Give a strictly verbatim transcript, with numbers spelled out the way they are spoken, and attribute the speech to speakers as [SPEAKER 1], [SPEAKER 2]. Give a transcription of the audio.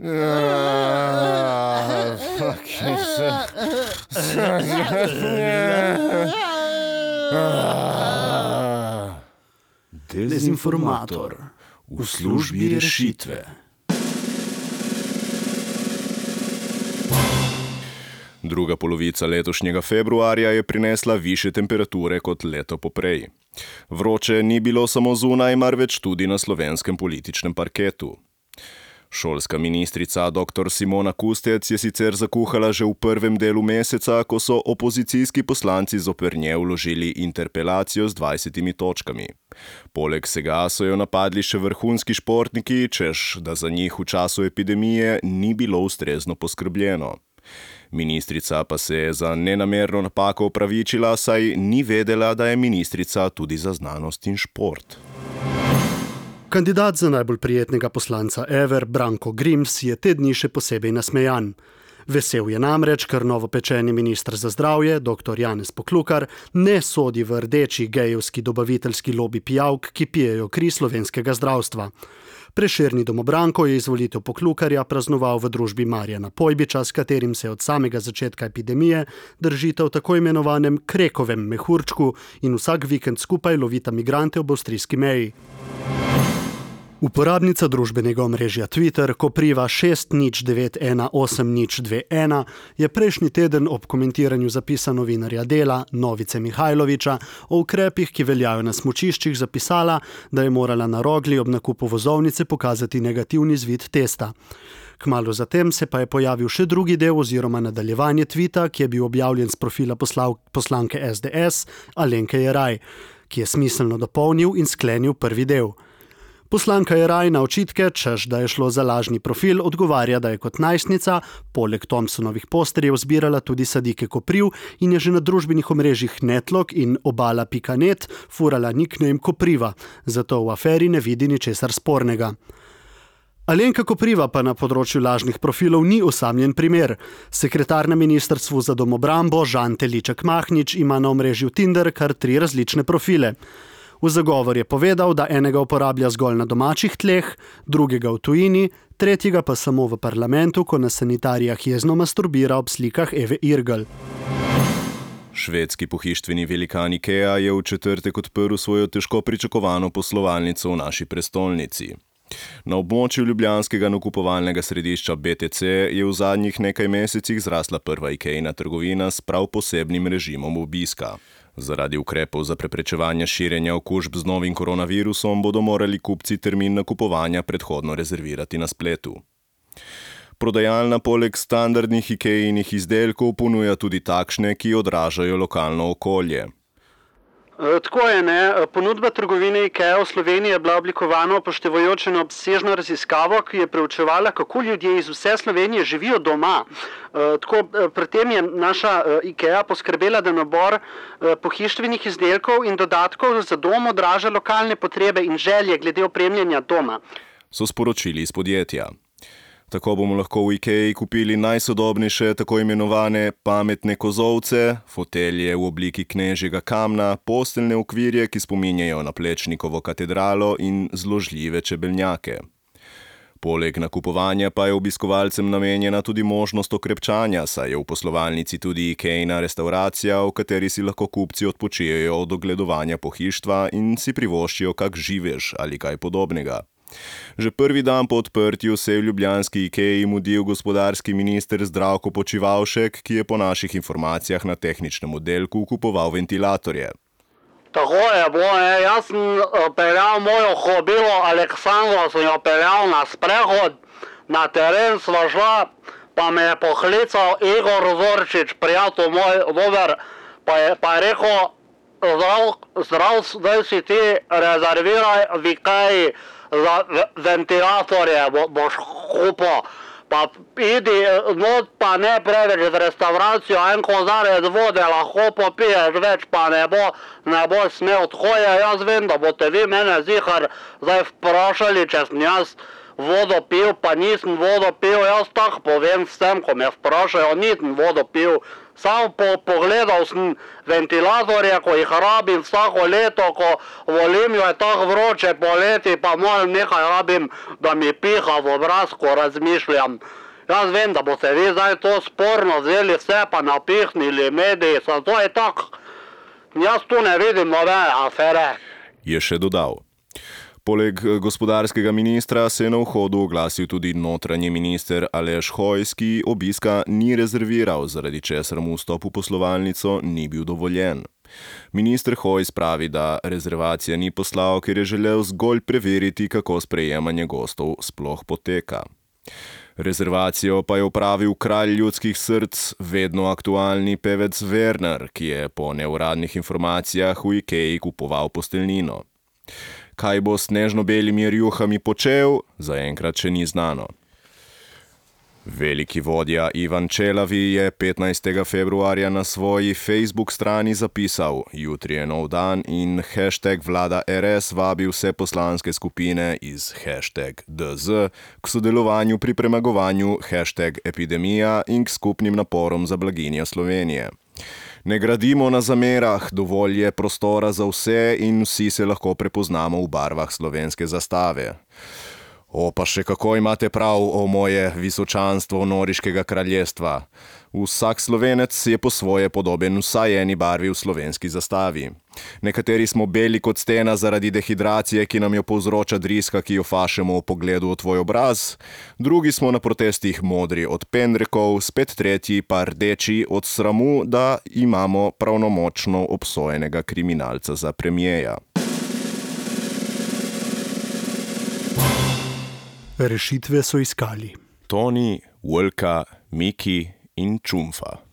[SPEAKER 1] Dezinformator v službi rešitve. Druga polovica letošnjega februarja je prinesla višje temperature kot leto poprej. Vroče ni bilo samo zunaj, marveč tudi na slovenskem političnem parketu. Šolska ministrica doktor Simona Kustec je sicer zakuhala že v prvem delu meseca, ko so opozicijski poslanci zoper nje vložili interpelacijo z dvajsetimi točkami. Poleg vsega so jo napadli še vrhunski športniki, češ, da za njih v času epidemije ni bilo ustrezno poskrbljeno. Ministrica pa se je za nenamerno napako opravičila, saj ni vedela, da je ministrica tudi za znanost in šport.
[SPEAKER 2] Kandidat za najbolj prijetnega poslanca ever, Branko Grims, je te dni še posebej nasmejan. Vesel je namreč, ker novopečeni minister za zdravje, doktor Janez Poklukar, ne sodi v rdeči gejevski dobaviteljski lobi pijavk, ki pijejo kri slovenskega zdravstva. Prešerni domobranko je izvolitev Poklukarja praznoval v družbi Marjana Pojbiča, s katerim se od samega začetka epidemije držita v tako imenovanem krekovem mehurčku in vsak vikend skupaj lovita migrante ob avstrijski meji. Uporabnica družbenega omrežja Twitter, Kopriva šest nič devet ena osem nič dve ena, je prejšnji teden ob komentiranju zapisa novinarja Dela, Novice Mihajloviča, o ukrepih, ki veljajo na smučiščih, zapisala, da je morala na Rogli ob nakupu vozovnice pokazati negativni izvid testa. Kmalu zatem se pa je pojavil še drugi del oziroma nadaljevanje tvita, ki je bil objavljen z profila poslav, poslanke es de es Alenke Jeraj, ki je smiselno dopolnil in sklenil prvi del. Poslanka Jeraj na očitke, češ da je šlo za lažni profil, odgovarja, da je kot najstnica poleg Thompsonovih posterjev zbirala tudi sadike Kopriv in je že na družbenih omrežjih Netlog in obala pika net furala nickname Kopriva, zato v aferi ne vidi ničesar spornega. Alenka Kopriva pa na področju lažnih profilov ni osamljen primer. Sekretar na ministrstvu za domobrambo Žan Teliček Mahnič ima na omrežju Tinder kar tri različne profile. V zagovor je povedal, da enega uporablja zgolj na domačih tleh, drugega v tujini, tretjega pa samo v parlamentu, ko na sanitarijah jezno masturbira ob slikah Eve Irgl.
[SPEAKER 1] Švedski pohištveni velikan Ikea je v četrtek odprl svojo težko pričakovano poslovalnico v naši prestolnici. Na območju ljubljanskega nakupovalnega središča be te ce je v zadnjih nekaj mesecih zrasla prva Ikejina trgovina s prav posebnim režimom obiska. Zaradi ukrepov za preprečevanje širjenja okužb z novim koronavirusom bodo morali kupci termin nakupovanja predhodno rezervirati na spletu. Prodajalna poleg standardnih Ikejinih izdelkov ponuja tudi takšne, ki odražajo lokalno okolje.
[SPEAKER 2] Tako je, ne. Ponudba trgovine Ikea v Sloveniji je bila oblikovana upoštevajoč eno obsežno raziskavo, ki je preučevala, kako ljudje iz vse Slovenije živijo doma. Tako, pri tem je naša Ikea poskrbela, da nabor pohištvenih izdelkov in dodatkov za dom odraža lokalne potrebe in želje glede opremljanja doma.
[SPEAKER 1] So sporočili iz podjetja. Tako bomo lahko v Ikeji kupili najsodobnejše tako imenovane pametne kozolce, fotelje v obliki knežjega kamna, posteljne okvirje, ki spominjajo na Plečnikovo katedralo in zložljive čebelnjake. Poleg nakupovanja pa je obiskovalcem namenjena tudi možnost okrepčanja, saj je v poslovalnici tudi Ikejina restauracija, v kateri si lahko kupci odpočijejo od ogledovanja pohištva in si privoščijo kak živež ali kaj podobnega. Že prvi dan po odprtju se je v ljubljanski Ikeji mudil gospodarski minister Zdravko Počivalšek, ki je po naših informacijah na tehničnem oddelku kupoval ventilatorje.
[SPEAKER 3] Tako je bilo, ne. Jaz sem peljal mojo hobilo Aleksandro, sem jo peljal na sprehod, na teren sva šla, pa me je poklical Igor Zorčič, prijatelj moj dober, pa je, pa je rekel, zdrav, zdrav, zdaj si ti rezerviraj v Ikeji za ventilatorje, bo, boš kupil. Pa idi not, pa ne preveč v restauracijo, en kozarec vode lahko popiješ, več pa ne bo, ne bo smel. Tako je, jaz vem, da boste vi mene zihar zdaj vprašali, če sem jaz vodo pil, pa nisem vodo pil, jaz tako povem vsem, ko me vprašajo, nisem vodo pil. Samo po, pogledal sem ventilatorje, ko jih rabim vsako leto, ko volim, jo je tako vroče poleti, pa moram nekaj rabim, da mi piha v obraz, ko razmišljam. Jaz vem, da boste vi zdaj to sporno vzeli vse, pa napihnili mediji, zato je tako. Jaz tu ne vidim nobene afere.
[SPEAKER 1] Je še dodal. Poleg gospodarskega ministra se je na vhodu oglasil tudi notranji minister Aleš Hojs, ki obiska ni rezerviral, zaradi česar mu vstop v poslovalnico ni bil dovoljen. Minister Hojs pravi, da rezervacija ni poslal, ker je želel zgolj preveriti, kako sprejemanje gostov sploh poteka. Rezervacijo pa je opravil kralj ljudskih src, vedno aktualni pevec Werner, ki je po neuradnih informacijah v Ikei kupoval posteljnino. Kaj bo s snežno-belimi rjuhami počel, zaenkrat še ni znano. Veliki vodja Ivan Čelavi je petnajstega februarja na svoji Facebook strani zapisal: jutri je nov dan in hashtag vlada R S vabi vse poslanske skupine iz hashtag D Z k sodelovanju pri premagovanju hashtag epidemija in k skupnim naporom za blaginjo Slovenije. Ne gradimo na zamerah, dovolj je prostora za vse in vsi se lahko prepoznamo v barvah slovenske zastave. O, pa še kako imate prav, o moje visočanstvo Noriškega kraljestva. Vsak Slovenec je po svoje podoben vsaj eni barvi v slovenski zastavi. Nekateri smo beli kot stena zaradi dehidracije, ki nam jo povzroča driska, ki jo fašemo v pogledu v tvoj obraz. Drugi smo na protestih modri od pendrekov, spet tretji pa rdeči od sramu, da imamo pravnomočno obsojenega kriminalca za premijeja.
[SPEAKER 2] Rešitve so iskali
[SPEAKER 1] Toni, Vlka, Miki in Čumfa.